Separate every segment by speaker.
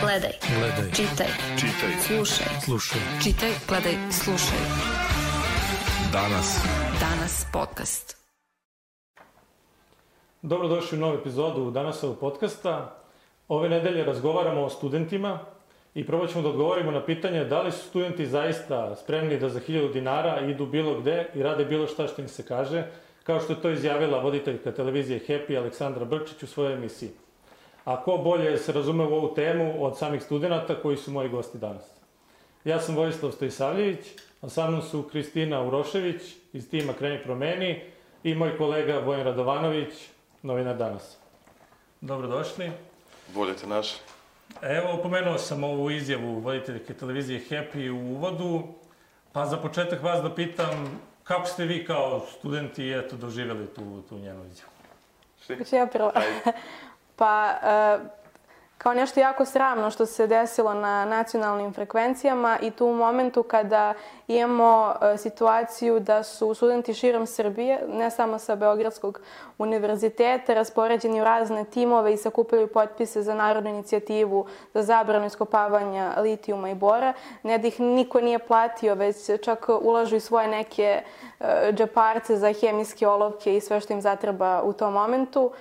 Speaker 1: Gledaj. Čitaj. Slušaj. Čitaj, gledaj, slušaj. Danas podcast.
Speaker 2: Dobrodošli u novu epizodu Danasovog podcasta. Ove nedelje razgovaramo o studentima i probat ćemo da odgovorimo na pitanje da li su studenti zaista spremni da za 1000 dinara idu bilo gde i rade bilo šta što im se kaže, kao što je to izjavila voditeljka televizije Happy Aleksandra Brčić u svojoj emisiji. A ko bolje se razume u ovu temu od samih studenta koji su moji gosti danas. Ja sam Vojislav Stojisavljević, a sa mnom su Kristina Urošević iz tima Kreni promeni i moj kolega Vojan Radovanović, novinar Danas. Dobrodošli.
Speaker 3: Bolje te našli.
Speaker 2: Evo, pomenuo sam ovu izjavu voditeljke televizije Happy u uvodu, pa za početak vas da pitam kako ste vi kao studenti doživjeli tu njenu izjavu?
Speaker 4: Hoću ja prvo. Pa, kao nešto jako sramno što se desilo na nacionalnim frekvencijama i tu u momentu kada imamo situaciju da su studenti širom Srbije, ne samo sa Beogradskog univerziteta, raspoređeni u razne timove i sakupljaju potpise za narodnu inicijativu za zabranu iskopavanja litijuma i bora. Ne da ih niko nije platio, već čak ulažu i svoje neke džeparce za hemijske olovke i sve što im zatreba u tom momentu.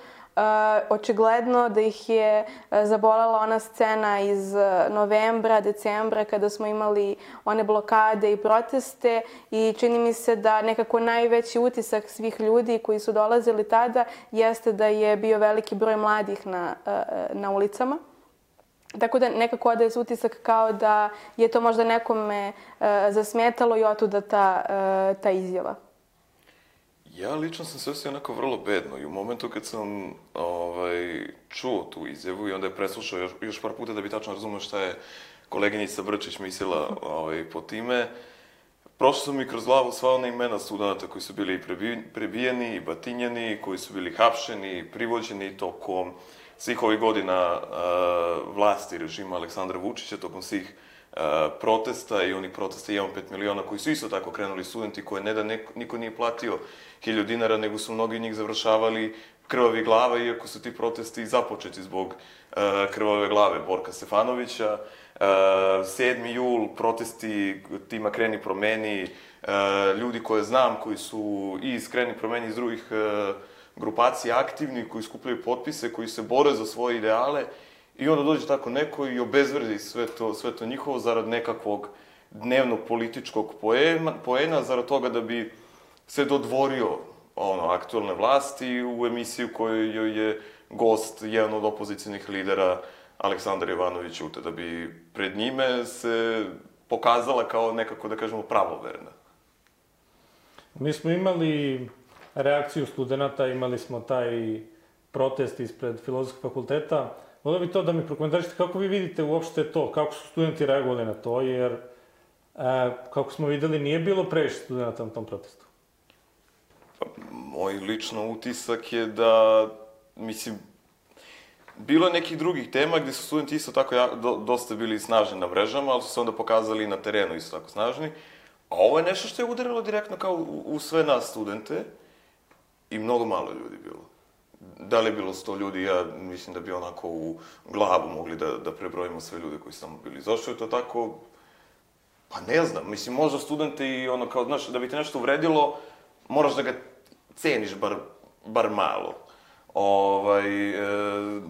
Speaker 4: Očigledno da ih je zabolela ona scena iz novembra, decembra kada smo imali one blokade i proteste i čini mi se da nekako najveći utisak svih ljudi koji su dolazili tada jeste da je bio veliki broj mladih na ulicama. Tako da nekako odaje se utisak kao da je to možda nekome zasmetalo i otuda ta izjava.
Speaker 3: Ja lično sam se osjećao onako vrlo bedno i u momentu kad sam čuo tu izjavu i onda je preslušao još par puta da bi tačno razumio šta je koleginica Brčić mislila po time, prošlo su mi kroz glavu sva ona imena studenta koji su bili prebijeni i batinjeni, koji su bili hapšeni, privođeni tokom svih ovih godina vlasti režima Aleksandra Vučića, tokom svih protesta i onih protesta 1,5 miliona koji su isto tako krenuli studenti koje ne da niko nije platio 1000 dinara, nego su mnogi njih završavali krvavi glava, iako su ti protesti započeti zbog krvave glave Borka Stefanovića. 7. jul, protesti tima Kreni promeni, ljudi koje znam koji su i iz Kreni promeni iz drugih grupacija aktivni, koji skupljaju potpise, koji se bore za svoje ideale. I onda dođe tako neko i obezvredi sve to njihovo zarad nekakvog dnevnog političkog poena, zarad toga da bi se dodvorio aktualne vlasti u emisiju kojoj je gost jedan od opozicijnih lidera Aleksandar Jovanović Ćute, da bi pred njime se pokazala kao nekako, da kažemo, pravoverna.
Speaker 2: Mi smo imali reakciju studenta, imali smo taj protest ispred Filozofskog fakulteta. Volio bi to da mi prokomentarišete kako vi vidite uopšte to, kako su studenti reagovali na to, jer kako smo videli nije bilo previše studenta na tom protestu.
Speaker 3: Moj lično utisak je da, bilo je nekih drugih tema gdje su studenti isto tako dosta bili snažni na mrežama, ali su se onda pokazali na terenu isto tako snažni. A ovo je nešto što je udarilo direktno kao u sve nas studente i mnogo malo ljudi bilo. Da li je bilo 100 ljudi, ja mislim da bi onako u glavu mogli da prebrojimo sve ljude koji su tamo bili. Zašto je to tako? Pa ne znam, možda studente i kao, znaš, da bi te nešto uvredilo, moraš da ga ceniš bar malo.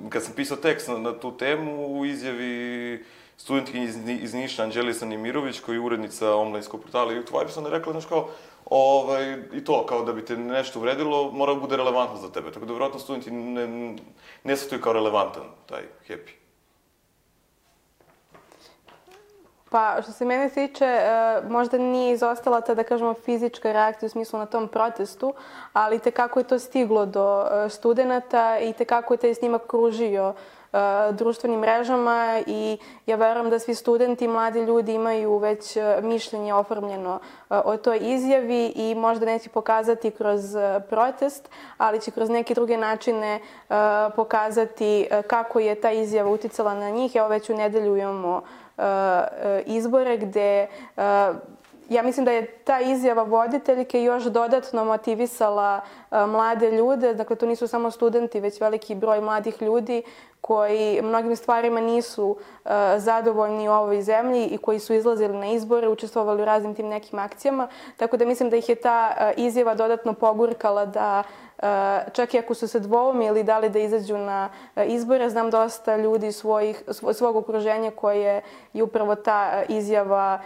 Speaker 3: Kad sam pisao tekst na tu temu, u izjavi studentkinji iz Niša, Anđelisa Nimirović, koja je urednica online-skog portala YouTube Vibes, ona je rekla, znaš kao, i to, kao da bi te nešto uvredilo, mora da bude relevantno za tebe. Tako da, vjerojatno, studenti ne shvataju kao relevantan taj Happy.
Speaker 4: Pa, što se mene tiče, možda nije izostala ta, da kažemo, fizička reakcija u smislu na tom protestu, ali tekako je to stiglo do studenta i tekako je taj snimak kružio društvenim mrežama i ja verujem da svi studenti, mladi ljudi imaju već mišljenje oformljeno o toj izjavi i možda neće pokazati kroz protest, ali će kroz neke druge načine pokazati kako je ta izjava uticala na njih. Evo već u nedelju imamo izbore gde ja mislim da je ta izjava voditeljke još dodatno motivisala mlade ljude. Dakle, to nisu samo studenti, već veliki broj mladih ljudi koji mnogim stvarima nisu zadovoljni u ovoj zemlji i koji su izlazili na izbore, učestvovali u raznim tim nekim akcijama. Tako da mislim da ih je ta izjava dodatno pogurkala da čak i ako su se dvoumili da li da izađu na izbore, znam dosta ljudi svog okruženja koje je upravo ta izjava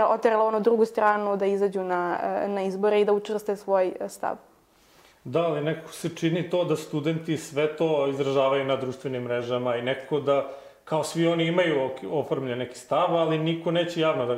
Speaker 4: oterala onu drugu stranu da izađu na izbore i da učvrste svoj stav.
Speaker 2: Da, ali nekako se čini to da studenti sve to izražavaju na društvenim mrežama i nekako da kao svi oni imaju oformljen neki stav, ali niko neće javno da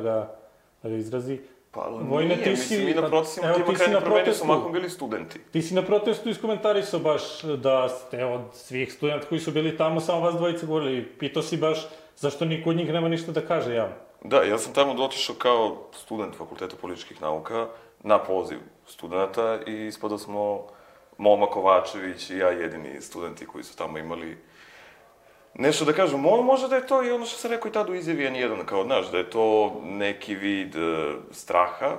Speaker 2: ga izrazi.
Speaker 3: Pa nije, mislim, mi na protestima tima krajnje promeni su mahom bili studenti.
Speaker 2: Ti si na protestu iskomentarisao baš da ste od svih studenta koji su bili tamo, samo vas dvojice govorili. Pitao si baš zašto niko od njih nema ništa da kaže javno.
Speaker 3: Da, ja sam tamo otišao kao student Fakulteta političkih nauka na poziv studenta i ispada smo Moma Kovačević i ja jedini studenti koji su tamo imali nešto da kažu. Možda da je to i ono što sam rekao i tada u izjavi N1, kao, znaš, da je to neki vid straha,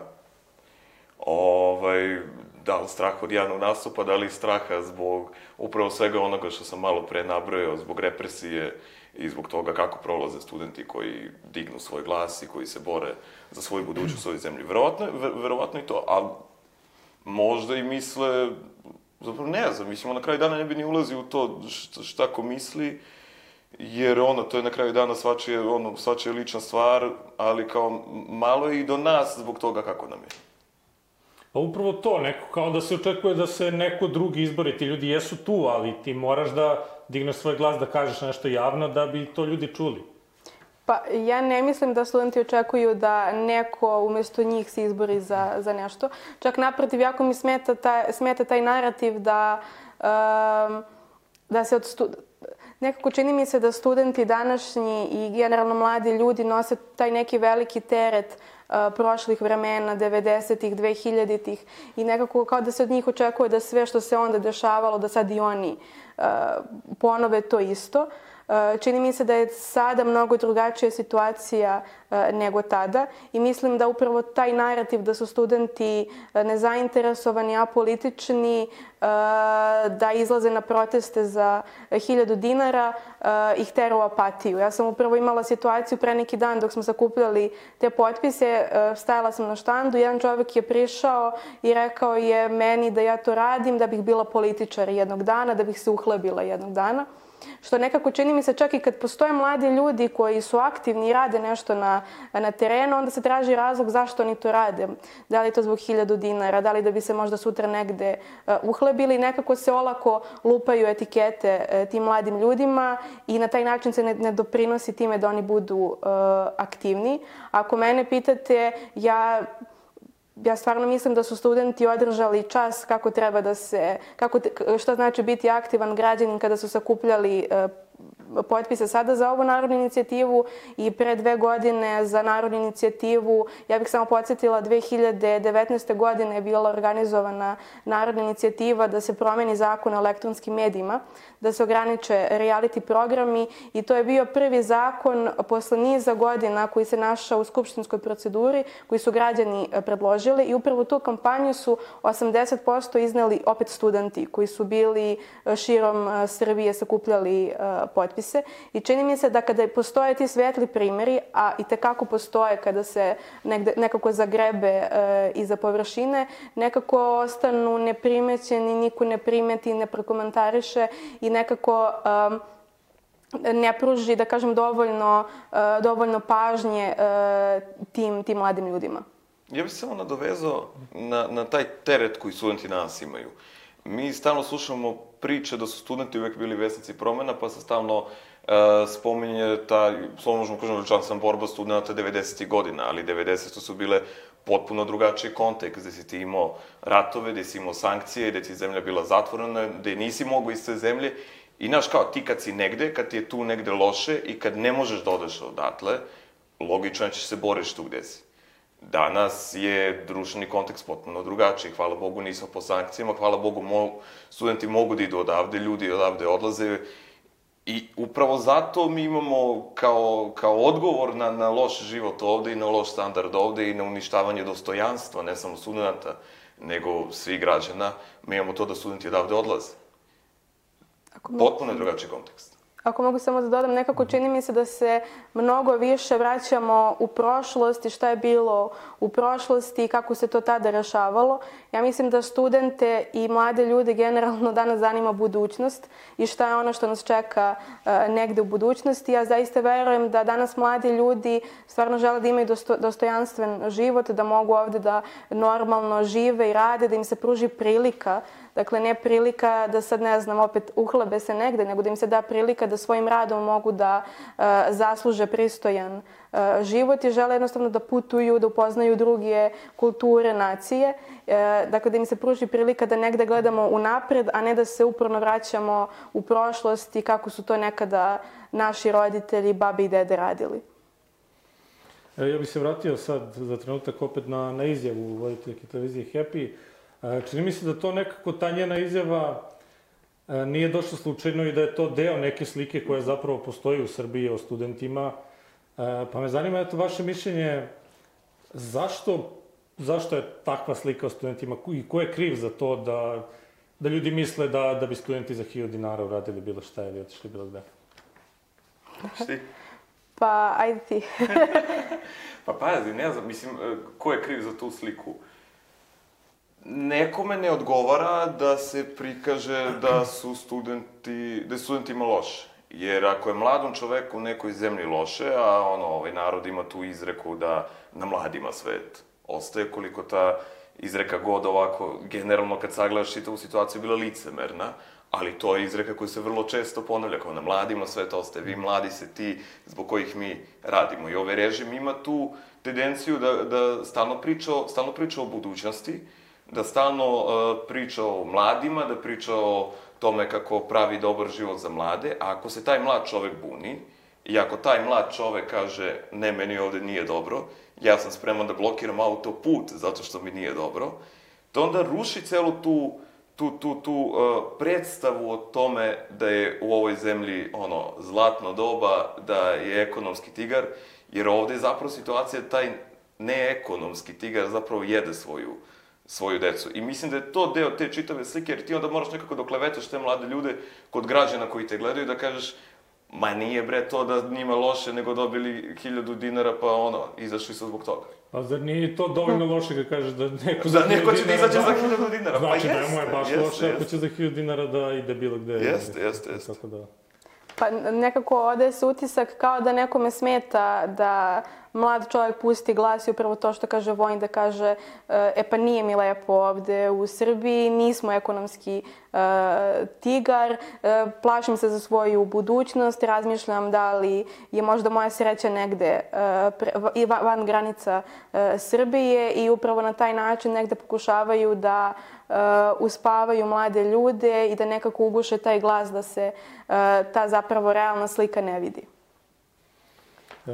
Speaker 3: da li strah od javnog nastupa, da li straha zbog upravo svega onoga što sam malo pre nabrojao, zbog represije i zbog toga kako prolaze studenti koji dignu svoj glas i koji se bore za svoju budućnost u ovoj zemlji. Verovatno i to, a možda i misle, zapravo ne znam, mislim, na kraju dana ne bi ni ulazio u to šta ko misli, jer to je na kraju dana svačija lična stvar, ali kao malo je i do nas zbog toga kako nam je.
Speaker 2: Pa upravo to, neko kao da se očekuje da se neko drugi izbori, ti ljudi jesu tu, ali ti moraš da digneš svoj glas, da kažeš nešto javno da bi to ljudi čuli.
Speaker 4: Pa ja ne mislim da studenti očekuju da neko umesto njih se izbori za nešto. Čak naprotiv, jako mi smeta taj narativ da se nekako čini mi se da studenti današnji i generalno mladi ljudi nose taj neki veliki teret prošlih vremena, 90-ih, 2000-ih i nekako kao da se od njih očekuje da sve što se onda dešavalo, da sad i oni ponove to isto. Čini mi se da je sada mnogo drugačija situacija nego tada i mislim da upravo taj narativ da su studenti nezainteresovani, apolitični, da izlaze na proteste za 1000 dinara ih tera u apatiju. Ja sam upravo imala situaciju pre neki dan dok smo sakupljali te potpise, stajala sam na štandu, jedan čovjek je prišao i rekao je meni da ja to radim, da bih bila političar jednog dana, da bih se uhlebila jednog dana. Što nekako čini mi se čak i kad postoje mladi ljudi koji su aktivni i rade nešto na terenu, onda se traži razlog zašto oni to rade. Da li je to zbog 1000 dinara, da li da bi se možda sutra negde uhlebili. Nekako se olako lupaju etikete tim mladim ljudima i na taj način se ne doprinosi time da oni budu aktivni. Ako mene pitate, ja stvarno mislim da su studenti održali čas kako treba da se, šta znači biti aktivan građanin kada su sakupljali potpise sada za ovu narodnu inicijativu i pre 2 godine za narodnu inicijativu. Ja bih samo podsjetila, 2019. godine je bila organizovana narodna inicijativa da se promeni zakon o elektronskim medijima, da se ograniče reality programi i to je bio prvi zakon posle niza godina koji se našao u skupštinskoj proceduri, koji su građani predložili i upravo tu kampanju su 80% izneli opet studenti koji su bili širom Srbije sakupljali potpise. I čini mi se da kada postoje ti svetli primjeri, a i tekako postoje kada se nekako zagrebe iza površine, nekako ostanu neprimećeni, niko ne primeti, ne prokomentariše i nekako ne pruži, da kažem, dovoljno pažnje tim mladim ljudima.
Speaker 3: Ja bih se samo nadovezao na taj teret koji studenti danas imaju. Mi stalno slušamo priče da su studenti uvek bili vesnici promena, pa se stalno spominje ta, slovno možemo kažem, veličanstvena borba studenta 90. godina, ali 90. su bile potpuno drugačiji kontekst, gde si ti imao ratove, gde si imao sankcije, gde ti zemlja bila zatvorena, gde nisi mogao iz te zemlje. I znaš, kao ti kad si negde, kad ti je tu negde loše i kad ne možeš da odeš odatle, logično je ćeš se boriš tu gde si. Danas je društveni kontekst potpuno drugačiji. Hvala Bogu nismo po sankcijama, hvala Bogu studenti mogu da idu odavde, ljudi odavde odlaze. I upravo zato mi imamo kao odgovor na loš život ovde i na loš standard ovde i na uništavanje dostojanstva, ne samo studenta, nego svih građana, mi imamo to da studenti odavde odlaze. Potpuno je drugačiji kontekst.
Speaker 4: Ako mogu samo da dodam, nekako čini mi se da se mnogo više vraćamo u prošlost i šta je bilo u prošlosti i kako se to tada rešavalo. Ja mislim da studente i mlade ljude generalno danas zanima budućnost i šta je ono što nas čeka negde u budućnosti. Ja zaista verujem da danas mladi ljudi stvarno žele da imaju dostojanstven život, da mogu ovde da normalno žive i rade, da im se pruži prilika. Dakle, ne prilika da sad, ne znam, opet uhlebe se negde, nego da im se da prilika da svojim radom mogu da zasluže pristojan život i žele jednostavno da putuju, da upoznaju druge kulture, nacije. Dakle, da im se pruži prilika da negde gledamo unapred, a ne da se uporno vraćamo u prošlost i kako su to nekada naši roditelji, babi i dede radili.
Speaker 2: Ja bih se vratio sad za trenutak opet na izjavu voditeljke televizije Happy. Čini mi se da to nekako ta njena izjava nije došla slučajno i da je to deo neke slike koja zapravo postoji u Srbiji o studentima. Pa me zanima, eto, vaše mišljenje, zašto je takva slika o studentima i ko je kriv za to da ljudi misle da bi studenti za 1000 dinara uradili bilo šta ili otišli bilo gde?
Speaker 3: Šti?
Speaker 4: Pa, ajde ti.
Speaker 3: Pa pazi, ne znam, mislim, ko je kriv za tu sliku? Nekome ne odgovara da se prikaže da je studentima loše. Jer ako je mladom čoveku u nekoj zemlji loše, a ovaj narod ima tu izreku da na mladima svet ostaje, koliko ta izreka god ovako, generalno kad sagledaš čitavu situaciju, bila licemerna, ali to je izreka koja se vrlo često ponavlja, kao na mladima svet ostaje, vi mladi se ti zbog kojih mi radimo. I ovaj režim ima tu tendenciju da stalno priča o budućnosti, da stalno priča o mladima, da priča o tome kako pravi dobar život za mlade, a ako se taj mlad čovek buni i ako taj mlad čovek kaže ne, meni ovde nije dobro, ja sam spreman da blokiram autoput zato što mi nije dobro, to onda ruši celu tu predstavu o tome da je u ovoj zemlji zlatno doba, da je ekonomski tigar, jer ovde je zapravo situacija da taj neekonomski tigar zapravo jede svoju decu. I mislim da je to deo te čitave slike, jer ti onda moraš nekako da klevetaš te mlade ljude kod građana koji te gledaju, da kažeš, ma nije bre to da njima loše, nego dobili 1000 dinara, pa izašli su zbog toga.
Speaker 2: A zar nije to dovoljno loše kad kažeš da neko
Speaker 3: za 1000 dinara... Da neko će da izađe za 1000 dinara,
Speaker 2: znači, pa jeste. Znači da mu je baš loše ako će za 1000 dinara da ide bilo gde.
Speaker 3: Jeste.
Speaker 4: Pa nekako ode se utisak kao da nekome smeta da mlad čovjek pusti glas i upravo to što kaže Vojin, da kaže pa nije mi lepo ovde u Srbiji, nismo ekonomski tigar, plašim se za svoju budućnost, razmišljam da li je možda moja sreća negde van granica Srbije i upravo na taj način negde pokušavaju da uspavaju mlade ljude i da nekako uguše taj glas da se ta zapravo realna slika ne vidi.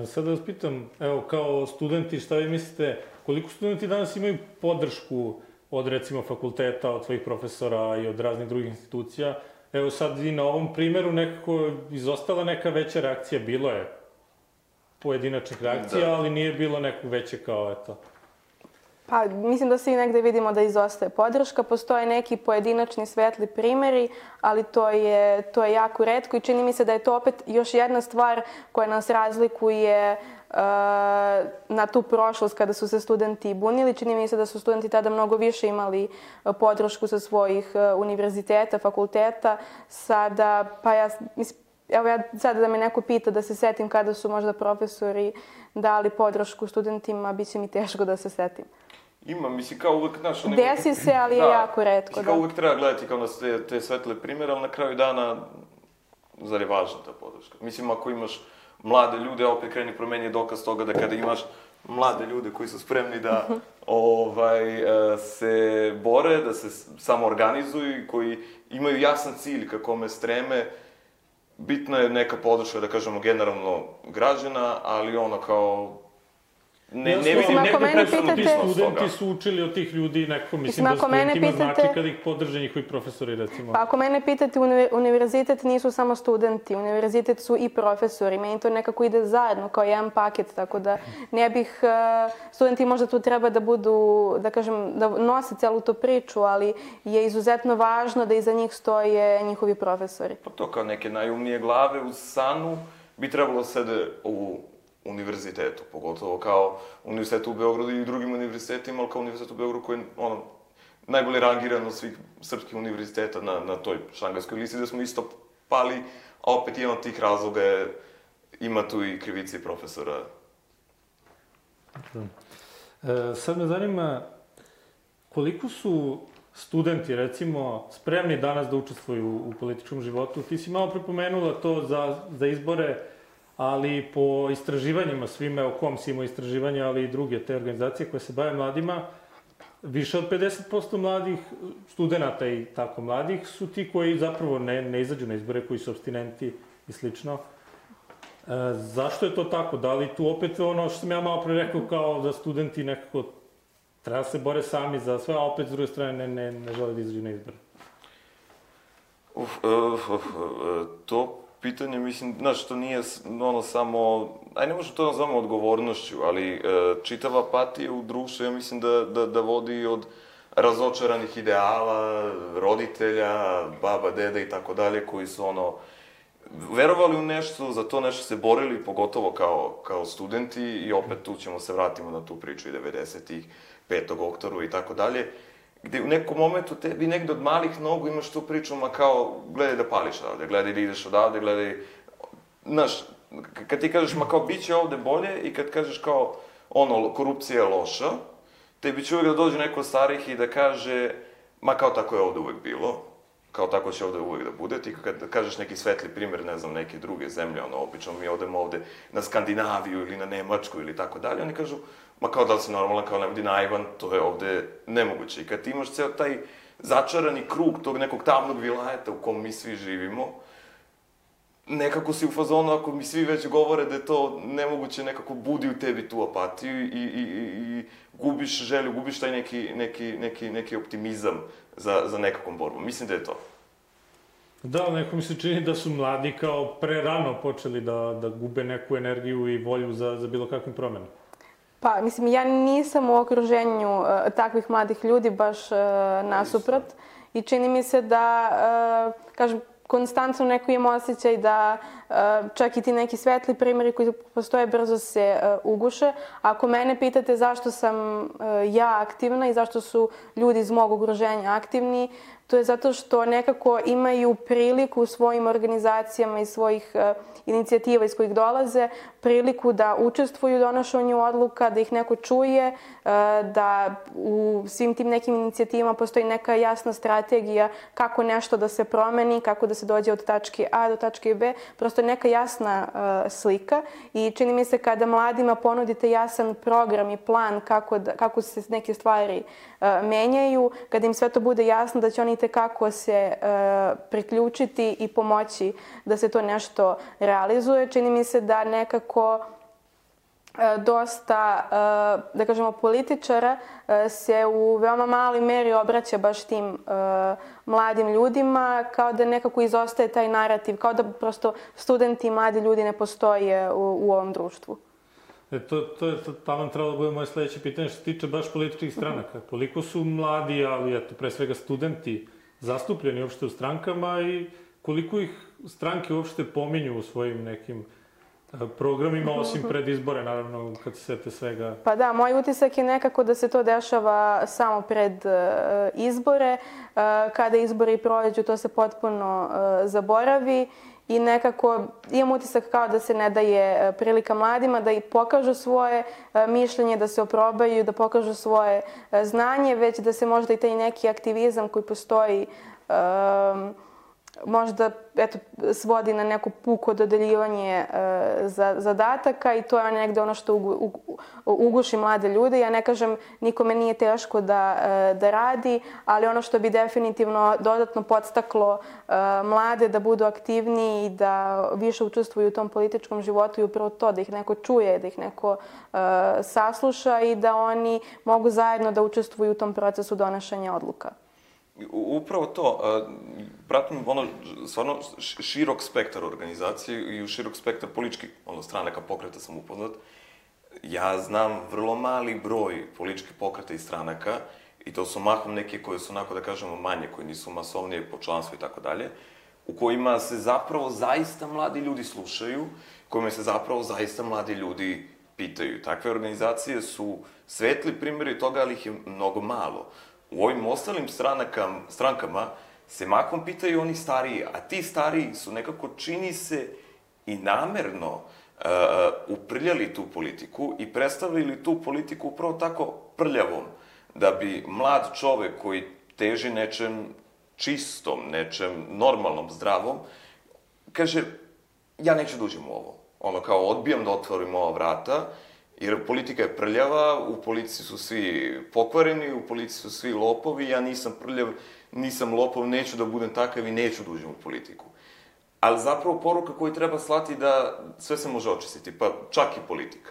Speaker 2: Sad da vas pitam, evo, kao studenti, šta vi mislite, koliko studenti danas imaju podršku od, recimo, fakulteta, od svojih profesora i od raznih drugih institucija? Evo sad i na ovom primeru nekako izostala neka veća reakcija, bilo je pojedinačnih reakcija, ali nije bilo nekog veće kao, eto.
Speaker 4: Pa, mislim da svi negde vidimo da izostaje podrška. Postoje neki pojedinačni svetli primeri, ali to je jako retko i čini mi se da je to opet još jedna stvar koja nas razlikuje na tu prošlost kada su se studenti bunili. Čini mi se da su studenti tada mnogo više imali podršku sa svojih univerziteta, fakulteta. Sada, pa ja sada da me neko pita da se setim kada su možda profesori dali podršku studentima, bit će mi teško da se setim.
Speaker 3: Ima, mislim, kao uvek, znaš...
Speaker 4: Desi se, ali je jako retko, da.
Speaker 3: Kao uvek treba gledati kao na te svetle primere, ali na kraju dana, zar je važna ta podrška? Mislim, ako imaš mlade ljude, opet kreni promeni je dokaz toga da kada imaš mlade ljude koji su spremni da se bore, da se samoorganizuju i koji imaju jasan cilj ka kome streme, bitna je neka podrška, da kažemo, generalno građana, ali kao ne vidim neku presudnu pismo
Speaker 2: studenti su učili od tih ljudi nekako, mislim da studentima znači kada ih podrže njihovi profesori, recimo.
Speaker 4: Pa ako mene pitate, univerzitet nisu samo studenti, univerzitet su i profesori. Meni to nekako ide zajedno, kao jedan paket, tako da ne bih... Studenti možda tu treba da budu, da kažem, da nose celu tu priču, ali je izuzetno važno da iza njih stoje njihovi profesori.
Speaker 3: Pa to kao neke najumnije glave u SANU bi trebalo sede u univerzitetu, pogotovo kao univerzitet u Beogradu i drugim univerzitetima, ali kao univerzitet u Beogradu koji je najbolje rangiran od svih srpskih univerziteta na toj šangajskoj listi, da smo isto pali, a opet jedan od tih razloga je, ima tu i krivice profesora.
Speaker 2: Sad me zanima koliko su studenti, recimo, spremni danas da učestvuju u političkom životu. Ti si malo prepomenula to za izbore, ali po istraživanjima svime, o kom si imao istraživanja, ali i druge te organizacije koje se bave mladima, više od 50% mladih studenta i tako mladih su ti koji zapravo ne izađu na izbore, koji su apstinenti i slično. Zašto je to tako? Da li tu opet ono što sam ja malo pre rekao kao da studenti nekako treba da se bore sami za sve, a opet s druge strane ne žele da izađu na izbore?
Speaker 3: To pitanje, mislim, znaš, to nije samo, ne možemo to nazvamo odgovornošću, ali čitava apatija u društvu, ja mislim da vodi od razočaranih ideala, roditelja, baba, deda i tako dalje, koji su verovali u nešto, za to nešto se borili, pogotovo kao studenti, i opet tu ćemo se vratimo na tu priču i 90-ih, 5. oktobra i tako dalje, gde u nekom momentu tebi negde od malih nogu imaš tu priču, ma kao, gledaj da pališ odavde, gledaj da ideš odavde, gledaj... Znaš, kad ti kažeš, ma kao, bit će ovde bolje, i kad kažeš kao, korupcija je loša, tebi će uvek da dođe neko od starih i da kaže, ma kao, tako je ovde uvek bilo, kao tako će ovde uvek da bude. Ti kad kažeš neki svetli primer, ne znam, neke druge zemlje, obično mi odemo ovde na Skandinaviju ili na Nemačku ili tako dalje, oni kažu, ma kao da li si normalan, kao ne budi naivan, to je ovde nemoguće. I kad ti imaš ceo taj začarani krug tog nekog tamnog vilajeta u kom mi svi živimo, nekako si u fazonu, ako mi svi već govore da je to nemoguće, nekako budi u tebi tu apatiju i gubiš želju, gubiš taj neki optimizam za nekakvom borbom. Mislim da je to.
Speaker 2: Da, neko mi se čini da su mladi kao prerano počeli da gube neku energiju i volju za bilo kakvim promenom.
Speaker 4: Pa, mislim, ja nisam u okruženju takvih mladih ljudi, baš nasuprot. I čini mi se da, kažem, konstantno neko imam osjećaj da čak i ti neki svetli primjeri koji postoje brzo se uguše. Ako mene pitate zašto sam ja aktivna i zašto su ljudi iz mog okruženja aktivni, to je zato što nekako imaju priliku u svojim organizacijama i svojih inicijativa iz kojih dolaze, priliku da učestvuju u donošenju odluka, da ih neko čuje, da u svim tim nekim inicijativama postoji neka jasna strategija kako nešto da se promeni, kako da se dođe od tačke A do tačke B, prosto neka jasna slika. I čini mi se kada mladima ponudite jasan program i plan kako se neke stvari menjaju, kada im sve to bude jasno, da će oni itekako se priključiti i pomoći da se to nešto realizuje. Čini mi se da nekako dosta, da kažemo, političara se u veoma maloj meri obraća baš tim mladim ljudima, kao da nekako izostaje taj narativ, kao da prosto studenti i mladi ljudi ne postoje u ovom društvu.
Speaker 2: To je tamo trebalo da bude moje sledeće pitanje što se tiče baš političkih stranaka. Koliko su mladi, ali eto, pre svega studenti, zastupljeni uopšte u strankama i koliko ih stranke uopšte pominju u svojim nekim programima, osim pred izbore, naravno, kad se sete svega?
Speaker 4: Pa da, moj utisak je nekako da se to dešava samo pred izbore. Kada izbori prođu, to se potpuno zaboravi i nekako imam utisak kao da se ne daje prilika mladima da i pokažu svoje mišljenje, da se oprobaju, da pokažu svoje znanje, već da se možda i taj neki aktivizam koji postoji možda svodi na neko puko dodeljivanje zadataka i to je negde ono što uguši mlade ljude. Ja ne kažem, nikome nije teško da radi, ali ono što bi definitivno dodatno podstaklo mlade da budu aktivniji i da više učestvuju u tom političkom životu i upravo to, da ih neko čuje, da ih neko sasluša i da oni mogu zajedno da učestvuju u tom procesu donošenja odluka.
Speaker 3: Upravo to. Pratim stvarno širok spektar organizacije i u širok spektar političkih stranaka pokreta sam upoznat. Ja znam vrlo mali broj političkih pokreta i stranaka i to su mahom neke koje su onako da kažemo manje, koje nisu masovnije po članstvu i tako dalje, u kojima se zapravo zaista mladi ljudi slušaju, kojima se zapravo zaista mladi ljudi pitaju. Takve organizacije su svetli primjeri toga, ali ih je mnogo malo. U ovim ostalim strankama se mahom pitaju oni stariji, a ti stariji su nekako, čini se, i namerno uprljali tu politiku i predstavili tu politiku upravo tako prljavom, da bi mlad čovek koji teži nečem čistom, nečem normalnom, zdravom, kaže, ja neću da uđem u ovo. Ono kao, odbijam da otvorim ova vrata, jer politika je prljava, u politici su svi pokvareni, u politici su svi lopovi, ja nisam prljav, nisam lopov, neću da budem takav i neću da uđem u politiku. Ali zapravo poruka koju treba slati da sve se može očistiti, pa čak i politika.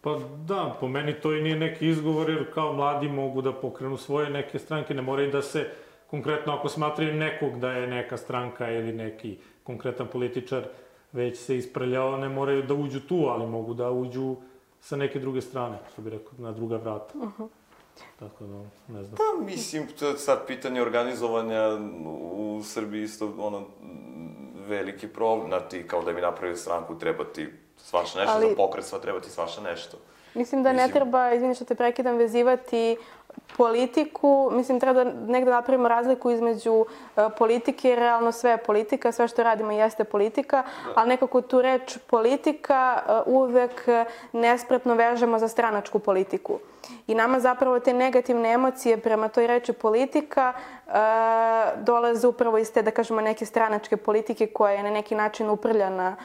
Speaker 2: Pa da, po meni to i nije neki izgovor, jer kao mladi mogu da pokrenu svoje neke stranke, ne moraju da se, konkretno ako smatraju nekog da je neka stranka ili neki konkretan političar već se isprljao, ne moraju da uđu tu, ali mogu da uđu sa neke druge strane, što bih rekao, na druga vrata. Tako da, ne znam.
Speaker 3: Pa, mislim, to je sad pitanje organizovanja u Srbiji isto, veliki problem. Znati, kao da bi napravili stranku, treba ti svašta nešto, za pokret sva treba ti svašta nešto.
Speaker 4: Mislim da ne treba, izvini što te prekidam, vezivati politiku. Mislim, treba da negde napravimo razliku između politike, jer realno sve je politika, sve što radimo jeste politika, ali nekako tu reč politika uvek nespretno vežemo za stranačku politiku. I nama zapravo te negativne emocije prema toj reči politika dolaze upravo iz te, da kažemo, neke stranačke politike koja je na neki način uprljana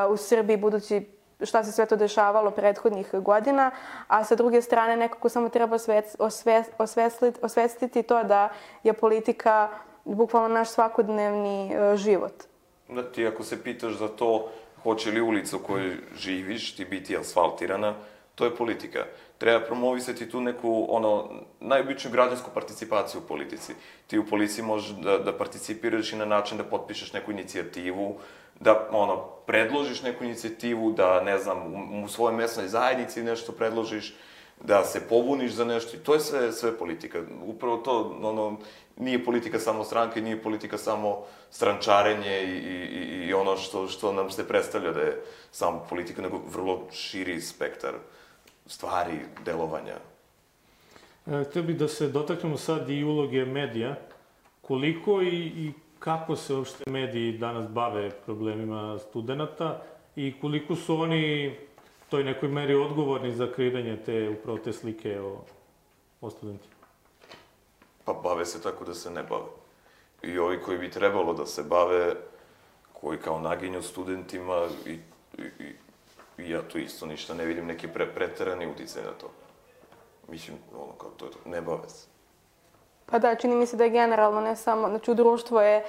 Speaker 4: u Srbiji, budući šta se sve to dešavalo prethodnih godina, a sa druge strane nekako samo treba osvestiti to da je politika bukvalno naš svakodnevni život.
Speaker 3: Da, ti ako se pitaš za to hoće li ulica u kojoj živiš ti biti asfaltirana, to je politika. Treba promovisati tu neku, najobičniju građansku participaciju u politici. Ti u policiji možeš da participiraš i na način da potpišeš neku inicijativu, da, predložiš neku inicijativu, da, ne znam, u svojoj mesnoj zajednici nešto predložiš, da se pobuniš za nešto i to je sve politika. Upravo to, nije politika samo stranke, nije politika samo strančarenje i ono što nam se predstavlja da je samo politika, nego vrlo širi spektar stvari, delovanja.
Speaker 2: Htio bih da se dotaknemo sad i uloge medija. Koliko i kako se uopšte mediji danas bave problemima studenta i koliko su oni toj nekoj meri odgovorni za kreiranje upravo te slike o studentima?
Speaker 3: Pa bave se tako da se ne bave. I ovi koji bi trebalo da se bave, koji kao naginju studentima i ja tu isto ništa ne vidim, neki preterani uticaj na to. Mislim, kao to je to, ne bave se.
Speaker 4: Pa da, čini mi se da je generalno, ne samo, znači u društvu je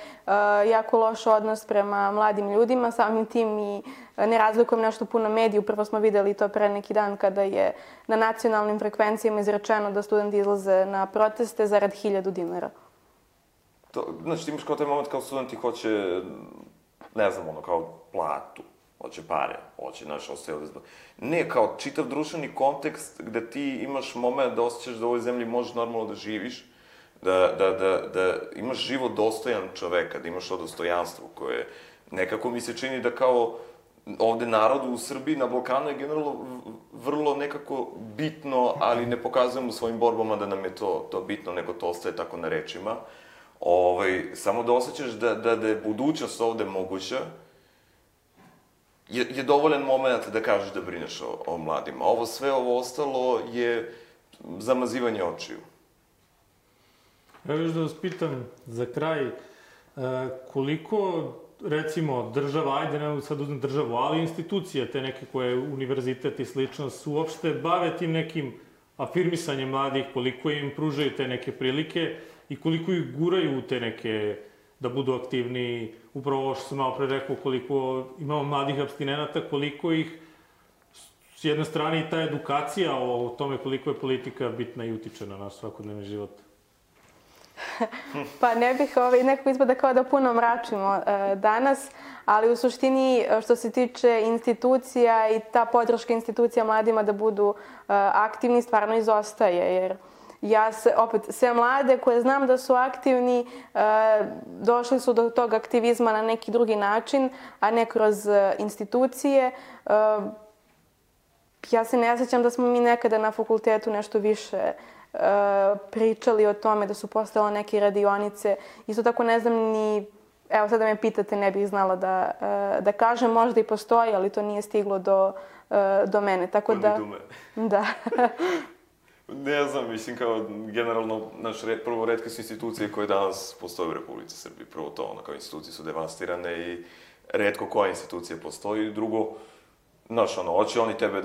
Speaker 4: jako loš odnos prema mladim ljudima, samim tim i ne razlikujem nešto puno mediju. Prvo smo videli to pre neki dan kada je na nacionalnim frekvencijama izrečeno da studenti izlaze na proteste zarad 1000 dinara.
Speaker 3: Znači ti imaš kao taj moment kao studenti hoće, ne znam, kao platu, hoće pare, hoće, znaš, ostaje ovde zbog. Ne, kao čitav društveni kontekst gde ti imaš moment da osjećaš da u ovoj zemlji možeš normalno da živiš, da imaš život dostojan čoveka, da imaš to dostojanstvo koje nekako mi se čini da kao ovde narodu u Srbiji, na Balkanu je generalno vrlo nekako bitno, ali ne pokazujemo svojim borbama da nam je to bitno, nego to ostaje tako na rečima. Samo da osjećaš da je budućnost ovde moguća, je dovoljan moment da kažeš da brineš o mladima. Sve ovo ostalo je zamazivanje očiju.
Speaker 2: Ja još da vas pitam za kraj, Koliko, recimo, država, ajde ne mogu sad uzmem državu, ali institucije, te neke koje univerzitet i slično, su uopšte bave tim nekim afirmisanjem mladih, koliko im pružaju te neke prilike i koliko ih guraju u te neke da budu aktivniji, upravo ovo što sam malo pre rekao, koliko imamo mladih apstinenata, koliko ih, s jedne strane i ta edukacija o tome koliko je politika bitna i utiče na naš svakodnevni život.
Speaker 4: Pa ne bih nekako ispada kao da puno mračimo danas, ali u suštini što se tiče institucija i ta podrška institucija mladima da budu aktivni stvarno izostaje, jer ja se, opet, sve mlade koje znam da su aktivni, došli su do tog aktivizma na neki drugi način, a ne kroz institucije. Ja se ne sjećam da smo mi nekada na fakultetu nešto više pričali o tome, da su postojale neke radionice. Isto tako ne znam ni, evo sad da me pitate, ne bih znala da kažem, možda i postoji, ali to nije stiglo do mene. Tako da... Da.
Speaker 3: Ne znam, mislim kao generalno, prvo retke su institucije koje danas postoje u Republici Srbiji. Prvo to, kao institucije su devastirane i retko koja institucija postoji. Drugo, znaš, hoće oni tebe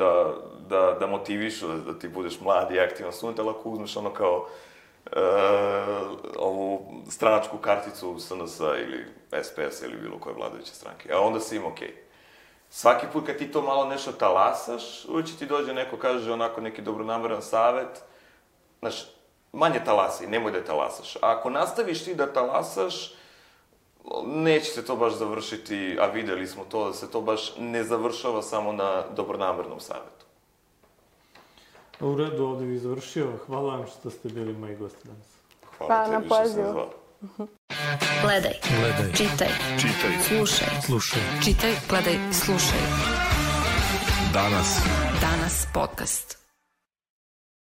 Speaker 3: da motivišu, da ti budeš mlad i aktivan student, ali ako uzmeš kao ovu stranačku karticu SNS-a ili SPS-a ili bilo koje vladajuće stranke, a onda si im okej. Svaki put kad ti to malo nešto talasaš, uvijek će ti dođe neko, kaže onako neki dobronameran savet, znaš, manje talasi, nemoj da talasaš. A ako nastaviš ti da talasaš, neće se to baš završiti, a videli smo to, da se to baš ne završava samo na dobronamernom savjetu.
Speaker 2: U redu, ovdje bih završio. Hvala vam što ste bili moji gosti danas.
Speaker 4: Hvala na pozivu.
Speaker 1: Gledaj. Čitaj. Slušaj. Čitaj, gledaj, slušaj. Danas podcast.